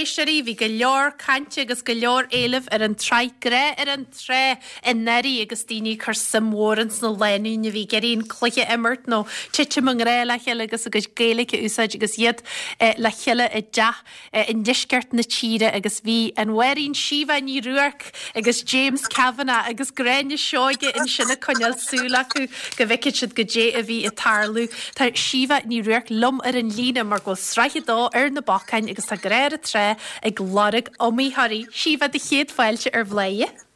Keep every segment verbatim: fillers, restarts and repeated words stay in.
éisteoirí, bhí go leor cainte agus go leor éilimh ar an tsraith Grá ar an Trá anuraidh agus daoine ag cur suim mhór ins na lánúin a bhí ag iarraidh an cluiche a imirt nó titim i ngrá le chéile agus a gcuid Gaeilge a úsáid agus iad eh, le chéile i dteach eh, i ndeisceart na tíre agus bhí an Mháirín Síomha Ní Ruairc agus James Kavanagh agus Gráinne Seoige ansin ag coinneáil súil acu go bhfeicfeadh siad goidé a bhí ag tarlú. Tá Síomha Ní Ruairc liom ar an líne mar go bhfuil sraith a dó ar na bacáin agus tá Grá ar an Trá ag lorg iomaitheoirí. Síomha do chéad fáilte ar Bhladhaire.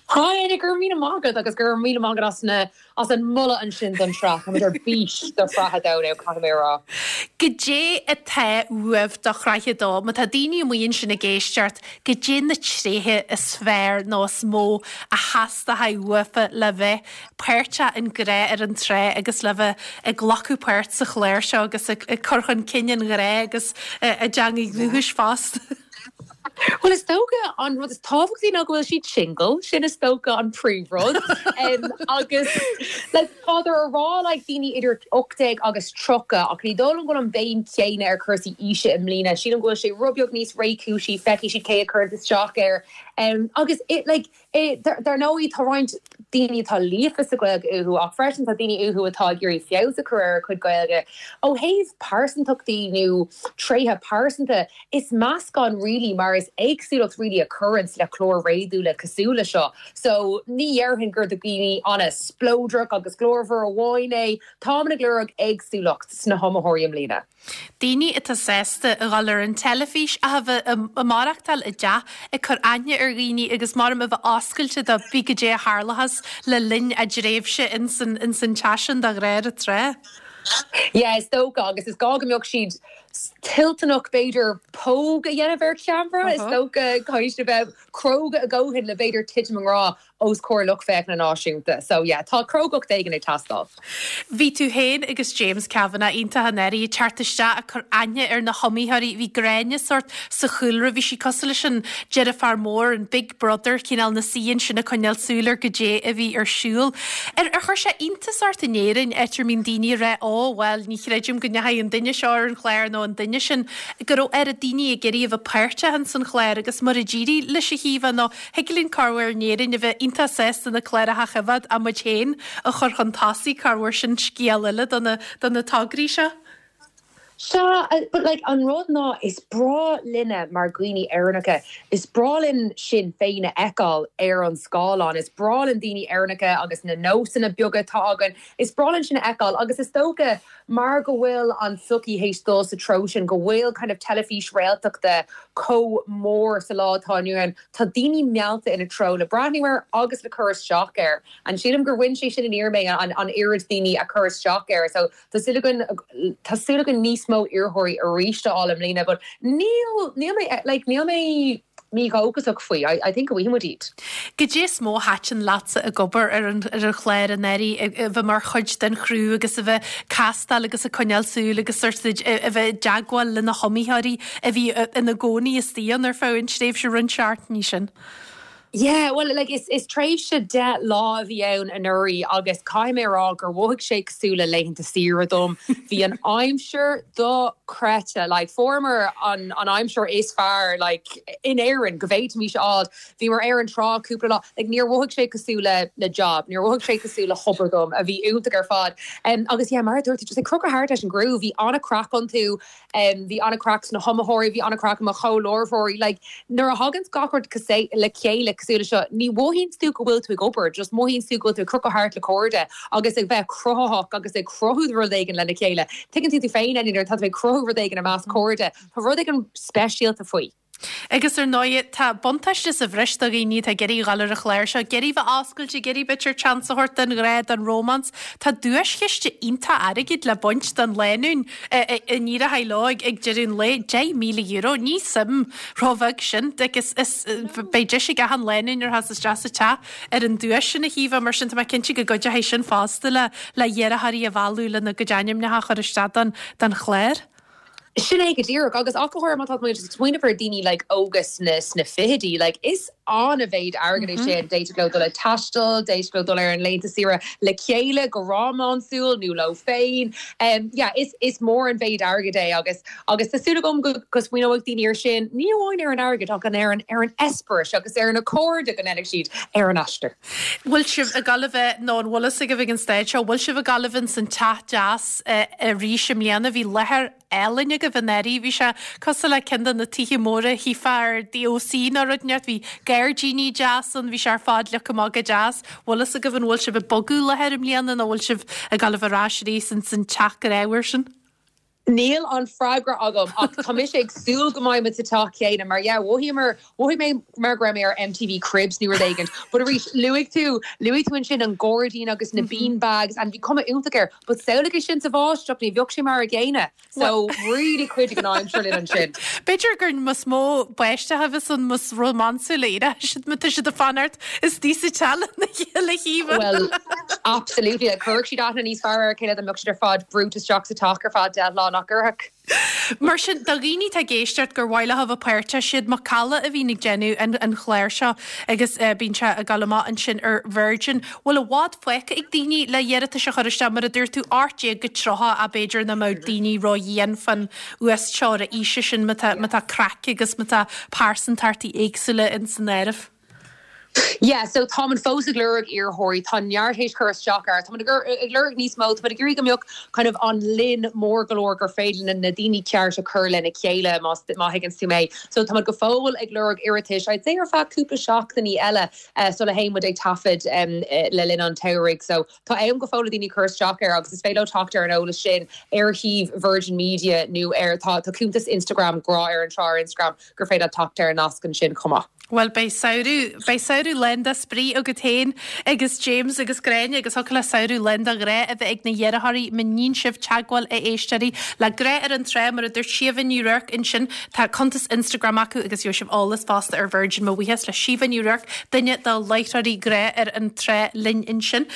Hi gur mí mágad agus gur mí mágad as na as an moladh ansin don tsraith ar bís do shraith a dó caithfidh mé rá. Goidé atá uaibh do shraith a dó, má tá daoine amuigh ansin ag éisteacht, goidé na tréithe is fearr nó is mó a theastaíonn uafa le bheith páirteach in Grá ar an Trá agus le bheith ag glacadh páirt sa chlár seo agus ag cur chun cinn an ghrá agus a dteangaidh dhúchais fosta. Well is dócha an rud is tábhachtaí ná go bhfuil siad single, sin is dócha an príomhrud um, agus like, Táthar a rá like, daoine idir ocht déag agus tríocha ach ní dóigh liom go an béim chéanna ar chúrsaí aoise i mbliana, sílim go bhfuil sé rud beag níos réchúisí feicfidh siad cé a chuireann isteach air. Um, agus it, like, it, dar ndóigh tá roinnt daoine atá líofa sa Ghaeilge uathu ach freisin tá daoine uathu atá ag iarraidh feabhas a chur ar a chuid Gaeilge. Ó thaobh pearsantachtaí nó tréithe pearsanta is meascán really mar is éagsúlacht really a chuireann le clár réadúla cosúil le seo. So ní dhéarfainn gur do dhaoine an-spleodrach agus glórmhar amháin é tá ag lorg éagsúlacht sna hiomaitheoirí i mbliana. Daoine atá sásta a dhul ar an teilifís a bheith ag maireachtáil i dteach ag cur aithne ar dhaoine agus mar a bheith oscailte do pé goidé a tharlós le linn a dtréimhse ins an teach sin do Ghrá ar an Trá. Yeah, is dócha agus is gá go mbeadh siad toilteanach b'fhéidir póg a dhéanamh ar cheamara is dócha caithfidh bheith cróga a dhóthain le b'fhéidir titim i ngrá os comhair lucht féachana náisiúnta. So yeah, tá crógacht éigin ag teastáil. Bhí tú féin agus James Kavanagh iontach anuraidh ag teacht isteach ag cur aithne ar na hiomaitheoirí bhí Gráinne sort sa chúlra bhí sí cosúil leis an deartháir mór an Big Brother cineál ina suí ansin ag coinneáil súil ar goidé a bhí ar siúl. Ar ar chuir sé iontas ort in Éirinn áit a mbíonn daoine rá ó well ní chreidim go ndeachaigh an duine seo ar an chlár nó an duine sin go raibh ar a daoine ag iarraidh a bheith páirteach in san chlár agus mar a d'éirigh leis a Shíomha nó thig linn corruair in Éirinn a bheith iontach sásta na cláracha a choimhéad ach muid féin a chur chun tosaigh corruair sin scéal eile do na do na tograí seo. Sea, but like an rud ná is breá linne mar dhaoine Éireannacha, is breá linn sinn féin a fheiceáil ar an scáileán, is breá linn daoine Éireannacha agus na nósanna beaga atá againn, is breá linn sin a fheiceáil agus is dócha mar go bhfuil an tsochaí théis dul sa treo sin go bhfuil kind of teilifís réaltachta chomh mór sa lá atá inniu ann tá daoine meallta ina treo le breathnú air agus le cur isteach air. An sílim gur bhain sé sin aniar mé an an oiread daoine a chur isteach air, so tá súil againn tá súil againn níos mó iarrthóirí arís a fháil i mbliana, but níl níl mé like níl mé mídhóchasach faoi I, I think go bhfaighidh muid iad. Goidé is mó a thaitin leatsa ag obair ar an ar an chlár anuraidh a bheith mar chuid den chriú agus a bheith castáil agus ag coinneáil súil agus sort a bheith i dteagmháil le na hiomaitheoirí a bhí ina gcónaí istigh ann ar feadh an tréimhse roinnt seachtainí sin. Yeah, well like is is tréimhse deich lá a bhí ann anuraidh agus caithfidh mé rá gur mhothaigh sé cosúil le laethanta saoire dom. Bhí an aimsir dochreidte like fuaireamar an an aimsir is fearr like in Éirinn go bhféadfaimis fháil. Bhí mar ar an trá cúpla lá like níor mhothaigh sé cosúil le le job, níor mhothaigh sé cosúil le hobair dom a bhí iontach ar fad. Um, agus yeah, mar dúirt just ag crochadh thart leis an gcriú, bhí an-chraic iontu, um, bhí an-chraic sna hiomaitheoirí, bhí an-chraic mo chomhláithreoirí, like nuair a thagann gach rud le chéile cosúil seo ní mhothaíonn tú go bhfuil tú ag obair, just mothaíonn tú go bhfuil tú ag crochadh thart le cairde agus ag bheith cruthaitheach agus ag cruthú rud éigin lena chéile. Tuigeann tú tú féin nuair tá tú ag cruthú rud éigin i measc cairde, Tá rud éigin speisialta faoi. Agus ar ndóigh tá buntáiste sa bhreis do dhaoine tá ag iarraidh dul ar an chlár seo, ag iarraidh bheith oscailte ag iarraidh b'fhéidir chance a thabhairt don ghrá don romance, Tá duaischiste iontach airgid le baint don lánúin a n-éireoidh leo ag ag deireadh an lae deich míle euro ní suim róbheag sin agus is beidh deis ag achan lánúin ar has isteach sa teach ar an duais sin a Shíomha mar sin tá mé cinnte go gcuideoidh sin fosta le le hiarrthóirí a mhealladh lena gcuid ainmneacha a chur isteach don don chlár. Sin é go díreach agus ach go háirithe má tá muid ag smaoineamh ar daoine like óga sna sna fichidí like is an-mhéid airgead é sin d'fhéadfadh leo dul ag taisteal, d'fhéadfadh leo dul ar an laethanta saoire le chéile go rómánsúil nó leo féin. Um, yeah, is, is mór an mhéid airgead é agus agus tá súil agam go go smaoineoidh daoine ar sin ní amháin ar an airgead ach an ar an ar an eispéireas agus ar na cairde go ndéanfaidh siad ar an aistear. Bhfuil sibh ag gabháil a bheith nó an bhfuil a fhios agaibh ag an staid seo, bhfuil sibh ag gabháil a bheith san teach deas eh, arís i mbliana bhí láthair álainn agaibh anuraidh bhí sé cosúil le ceann de na tithe móra chífeá ar DOC nó rud inteacht bhí gairdíní deas ann bhí sé ar fad leagtha amach go deas. Bhfuil a fhios agaibh an bhfuil sibh ag bogadh láthair i mbliana nó bhfuil sibh ag gabháil a bheith ar ais arís san teach grámhar sin? Níl an freagra agam ach tá mise ag súil go mbeidh muid sa teach céanna mar yeah, mhothaigh mhothaigh mé mar go raibh mé ar MTV Cribs nó rud éigin, but arís luaigh tú luaigh tú ansin an gairdín agus na bean bags and bhí cuma iontach air, but samhlaigh sin sa bháisteach ní bheadh sé mar an gcéanna. So really chuidigh an aimsir linn ansin. B'fhéidir gur más mó báisteach a bheas ann más rómánsúla siad má tá siad ag fanacht istigh sa teach le chéile. Well, absolutely chuirfeadh siad aithne níos fearr ar chéile dá mbeadh siad ar fad brúite isteach sa teach ar feadh deich lá nach gcuirfeadh. Mar sin do dhaoine atá ag éisteacht gur mhaith leo a bheith páirteach siad Macalla a bhíonn ag déanamh an, an chláir seo agus uh, bíonn sé ag gabháil amach ansin ar Virgin. Bhfuil i bhfad fágtha ag daoine le hiarratais a chur isteach mar a dúirt tú ocht déag go tríocha a b'fhéidir nach mbeadh daoine ró-dhian fan uasteorainn aoise sin má tá má tá craic agus má tá pearsantachtaí éagsúla in san áireamh. Yeah, so tá fós ag lorg iarrthóirí tá neart théis cur isteach air Tá ag lorg níos mó tá ag iarraidh go mbeadh kind of an líon mór go leor gur féidir na daoine ceart a chur lena chéile má má thuigeann tú mé. So tá go fóill ag lorg iarratais I'd say ar feadh cúpla seachtainí eile uh, so le haon ag taifead um, uh, le linn an tsamhraidh. So tá am go fóill daoine cur isteach air agus is féidir teacht ar an eolas sin ar shuíomh Virgin Media nó ar tá tá cuntas Instagram grá ar an trá Instagram gur féidir teacht ar an nasc ansin chomh maith. Well beidh samhradh beidh samhradh lán de spraoi agat féin agus James agus Gráinne agus thig le samhradh lán de ghrá a bheith ag na hiarrthóirí má níonn sibh teagmháil a éisteoirí le grá ar an trá mar a dúirt Síomha Ní Ruairc ansin tá cuntas Instagram acu agus gheobhaidh sibh eolas fosta ar Virgin mo bhuíochas le Síomha Ní Ruairc duine de láithreoirí grá ar an trá linn ansin.